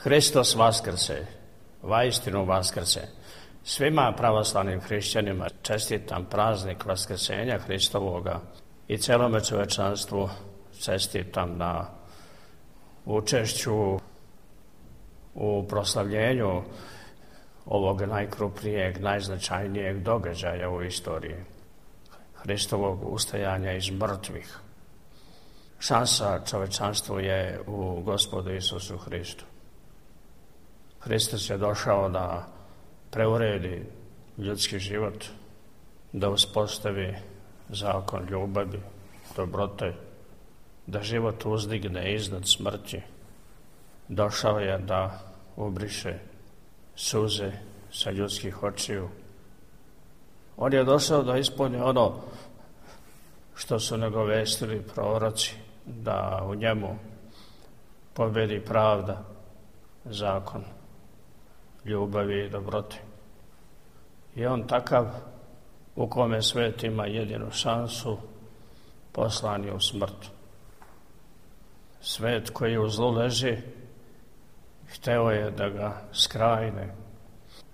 Hristos vaskrse, vaistinu vaskrse. Svima pravoslavnim hrišćanima čestitam praznik vaskrsenja Hristovoga i celome čovečanstvu čestitam na učešću u proslavljenju ovog najkrupnijeg, najznačajnijeg događaja u istoriji, Hristovog ustajanja iz mrtvih. Šansa čovečanstvu je u Gospodu Isusu Hristu. Hristos je došao da preuredi ljudski život, da uspostavi zakon ljubavi, dobrote, da život uzdigne iznad smrti. Došao je da ubriše suze sa ljudskih očiju. On je došao da ispuni ono što su nagovestili proroci, da u njemu pobedi pravda, zakon, ljubavi i dobrote. I on takav u kome svet ima jedinu šansu, poslan je u smrt. Svet koji u zlu leži, hteo je da ga skrajne,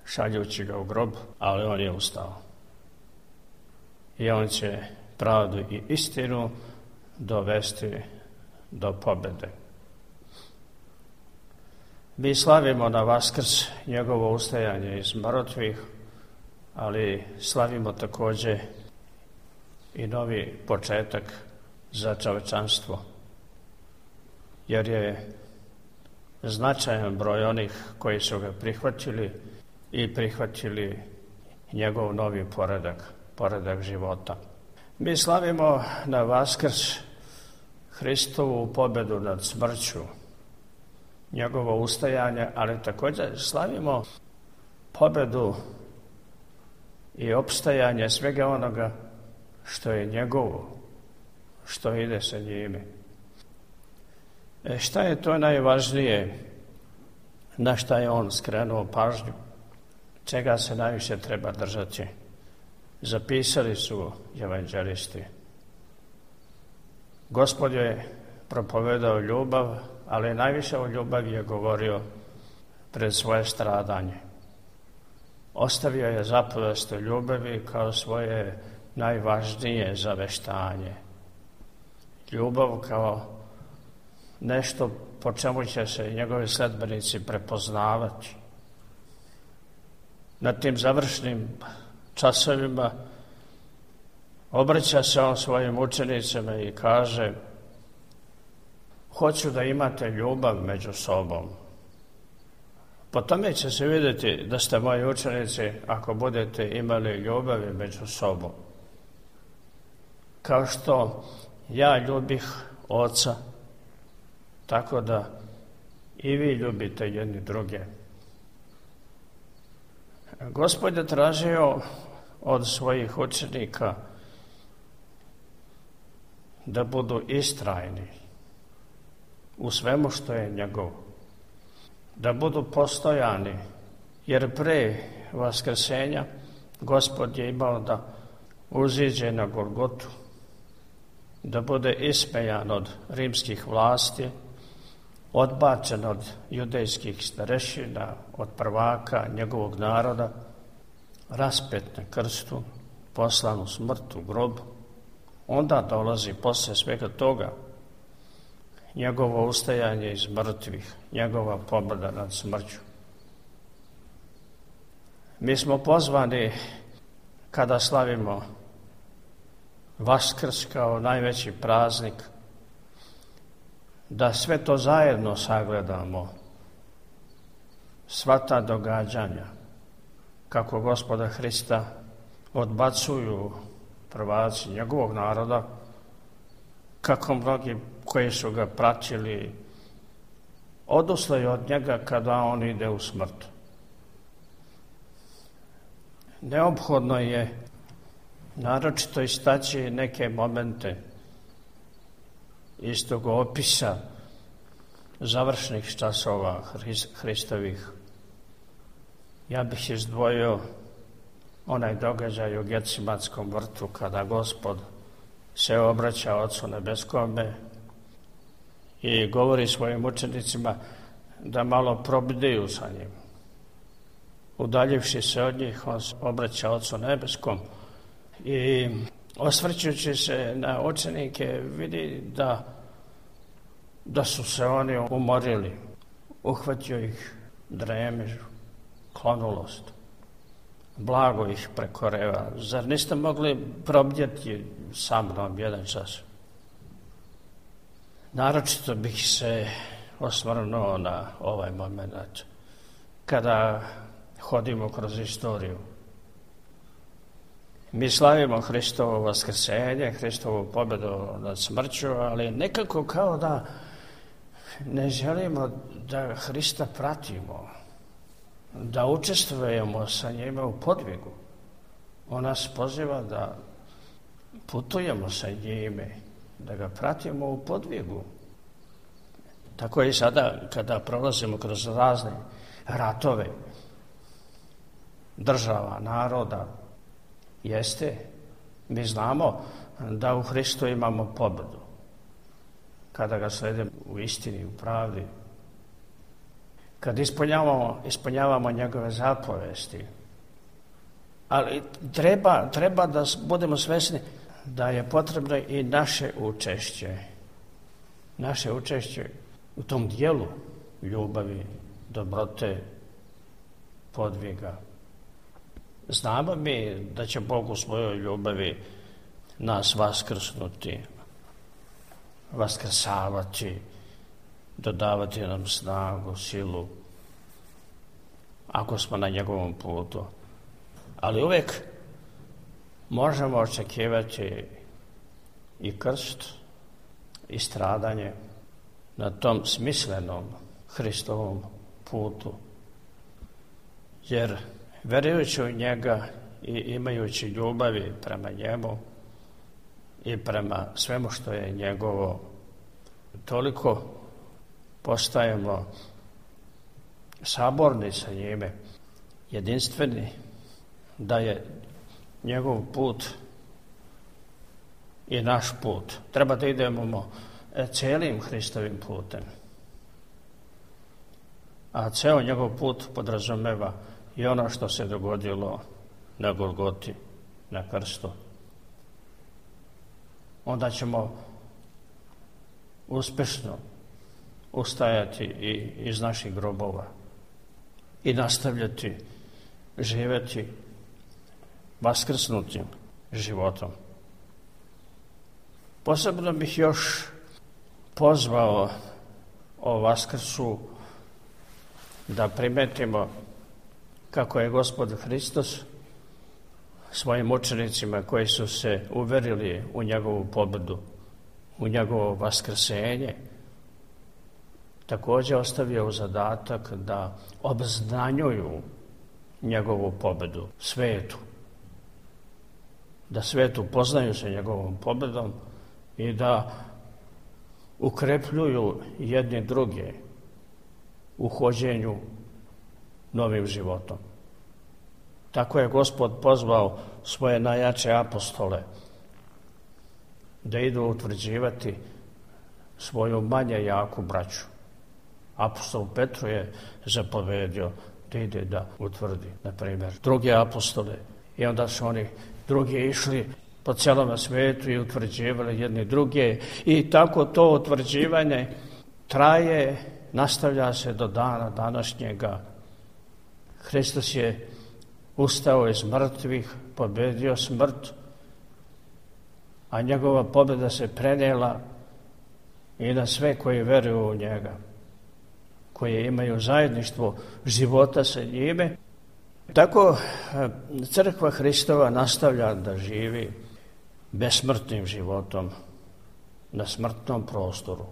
šaljući ga u grob, ali on je ustao. I on će pravdu i istinu dovesti do pobede. Mi slavimo na Vaskrs njegovo ustajanje iz mrtvih, ali slavimo takođe i novi početak za čovečanstvo, jer je značajan broj onih koji su ga prihvatili i prihvatili njegov novi poredak života. Mi slavimo na Vaskrs Hristovu pobedu nad smrću, njegovo ustajanje, ali također slavimo pobedu i opstajanje svega onoga što je njegovo, što ide sa njime. Šta je to najvažnije, na šta je on skrenuo pažnju, čega se najviše treba držati? Zapisali su evanđelisti. Gospod je propovedao ljubav, ali najviše o ljubavi je govorio pred svoje stradanje. Ostavio je zapovest o ljubavi kao svoje najvažnije zaveštanje. Ljubav kao nešto po čemu će se njegovi sledbenici prepoznavati. Na tim završnim časovima obraća se on svojim učenicima i kaže: hoću da imate ljubav među sobom. Po tome će se vidjeti da ste moji učenici ako budete imali ljubavi među sobom. Kao što ja ljubih Oca, tako da i vi ljubite jedni druge. Gospod je tražio od svojih učenika da budu istrajni u svemu što je njegov, da budu postojani, jer pre vaskrsenja Gospod je imao da uziđe na Golgotu, da bude ismejan od rimskih vlasti, odbačen od judejskih starešina, od prvaka njegovog naroda, raspet na krstu, poslan u smrt, u grob. Onda dolazi posle svega toga njegovo ustajanje iz mrtvih, njegova pobjeda nad smrću. Mi smo pozvani, kada slavimo Vaskrs kao najveći praznik, da sve to zajedno sagledamo, sva ta događanja, kako Gospoda Hrista odbacuju prvaci njegovog naroda, kako mnogi koji su ga pratili odustaju od njega kada on ide u smrt. Neophodno je naročito istaći neke momente iz tog opisa završnih časova Hristovih. Ja bih izdvojio onaj događaj u Getsemanskom vrtu kada Gospod se obraća Ocu nebeskome i govori svojim učenicima da malo probdiju sa njim. Udaljivši se od njih, on se obraća Ocu nebeskom i osvrćući se na učenike vidi da su se oni umorili. Uhvatio ih dremež, klonulost. Blago ih prekoreva. Zar niste mogli probdjeti sa mnom jedan čas? Naročito bih se osvrnuo na ovaj moment kada hodimo kroz istoriju. Mi slavimo Hristovo vaskrsenje, Hristovu pobjedu nad smrću, ali nekako kao da ne želimo da Hrista pratimo, da učestvujemo sa njime u podvigu. On nas poziva da putujemo sa njime, da ga pratimo u podvigu. Tako je i sada kada prolazimo kroz razne ratove država, naroda, mi znamo da u Hristu imamo pobjedu. Kada ga sledimo u istini, u pravdi, kad ispunjavamo njegove zapovesti. Ali treba da budemo svesni da je potrebno i naše učešće u tom dijelu ljubavi, dobrote, podviga. Znamo mi da će Bog u svojoj ljubavi nas vaskrsnuti, vaskrsavati, dodavati nam snagu, silu, ako smo na njegovom putu. Ali uvijek možemo očekivati i krst i stradanje na tom smislenom Hristovom putu. Jer verujući u njega i imajući ljubavi prema njemu i prema svemu što je njegovo, toliko postajemo saborni sa njime, jedinstveni, da je njegov put i naš put. Treba da idemo cijelim Hristovim putem. A ceo njegov put podrazumeva i ono što se dogodilo na Golgoti, na krstu. Onda ćemo uspješno ustajati i iz naših grobova i nastavljati živjeti vaskrsnutim životom. Posebno bih još pozvao o Vaskrsu da primetimo kako je Gospod Hristos svojim učenicima koji su se uverili u njegovu pobjedu, u njegovo vaskrsenje, također ostavio zadatak da obznanjuju njegovu pobjedu svetu, da svetu poznaju se njegovom pobjedom i da ukrepljuju jedni druge u hođenju novim životom. Tako je Gospod pozvao svoje najjače apostole da idu utvrđivati svoju manje jaku braću. Apostol Petru je zapovedio da ide da utvrdi, na primjer, druge apostole, i onda su oni drugi išli po cijelom svijetu i utvrđivali jedni druge, i tako to utvrđivanje traje, nastavlja se do dana današnjega. Hristos je ustao iz mrtvih, pobjedio smrt, a njegova pobjeda se prenijela i na sve koji vjeruju u njega, koji imaju zajedništvo života sa njime. Tako crkva Hristova nastavlja da živi besmrtnim životom na smrtnom prostoru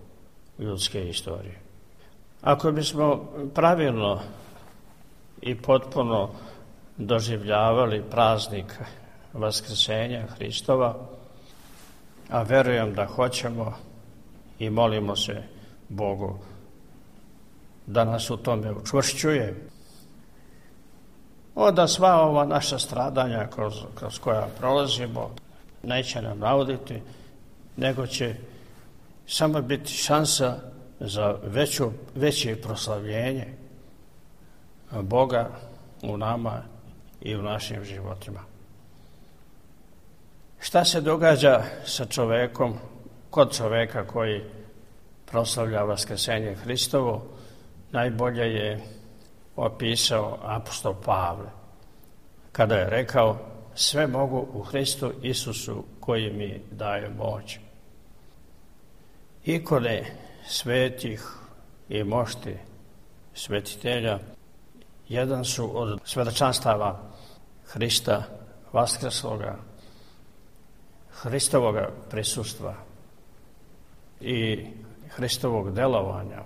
ljudske istorije. Ako bismo pravilno i potpuno doživljavali praznik Vaskrsenja Hristova, a verujem da hoćemo i molimo se Bogu da nas u tome učvršćuje, onda sva ova naša stradanja kroz koja prolazimo neće nam nauditi, nego će samo biti šansa za veće proslavljenje Boga u nama i u našim životima. Šta se događa sa čovekom, kod čoveka koji proslavlja vaskrsenje Hristovo, najbolje je opisao apostol Pavle, kada je rekao: sve mogu u Hristu Isusu koji mi daje moć. Ikone svetih i mošti svetitelja jedan su od svedočanstava Hrista vaskrsloga, Hristovoga prisustva i Hristovog delovanja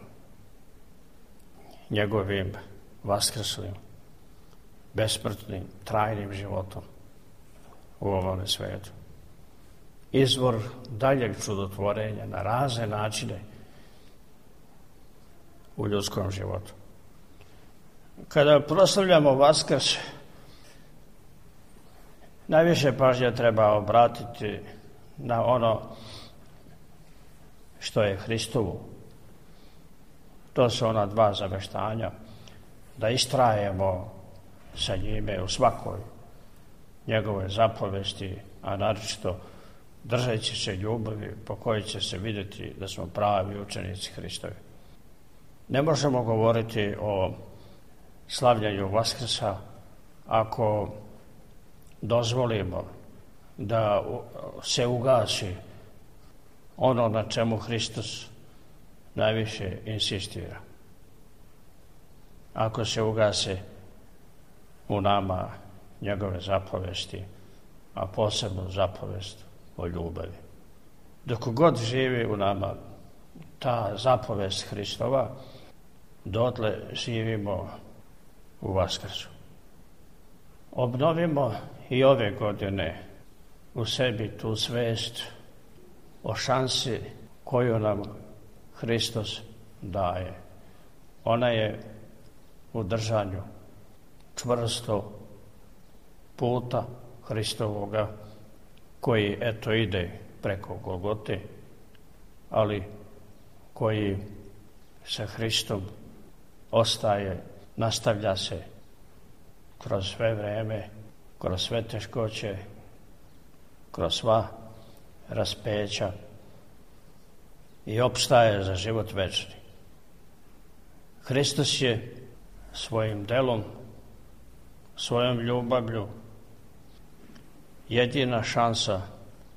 njegovim vaskrslim, besmrtnim, trajnim životom u ovome svetu. Izvor daljeg čudotvorenja na razne načine u ljudskom životu. Kada proslavljamo Vaskrs, najviše pažnje treba obratiti na ono što je Hristovo. To su ona dva zaveštanja, da istrajemo sa njime u svakoj njegove zapovesti, a naročito držeći se ljubavi po kojoj će se vidjeti da smo pravi učenici Hristovi. Ne možemo govoriti o slavljanju Vaskrsa ako dozvolimo da se ugasi ono na čemu Hristos najviše insistira. Ako se ugase u nama njegove zapovesti, a posebno zapovest o ljubavi. Dok god živi u nama ta zapovest Hristova, dotle živimo u Vaskrsu. Obnovimo i ove godine u sebi tu svest o šansi koju nam Hristos daje. Ona je u držanju čvrsto puta Hristovoga koji eto ide preko Golgote, ali koji sa Hristom ostaje, nastavlja se kroz sve vreme, kroz sve teškoće, kroz sva raspeća i opstaje za život večni. Hristos je svojim delom, svojom ljubavlju jedina šansa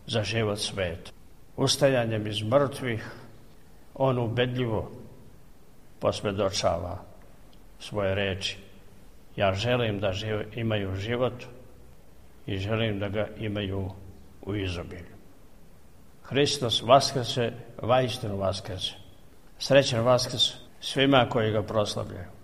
za život sveta. Ustajanjem iz mrtvih on ubedljivo posvjedočava svoje reči. Ja želim da imaju život i želim da ga imaju u izobilju. Hristos vaskrse, vaistinu vaskrse. Srećan Vaskrs svima koji ga proslavljaju.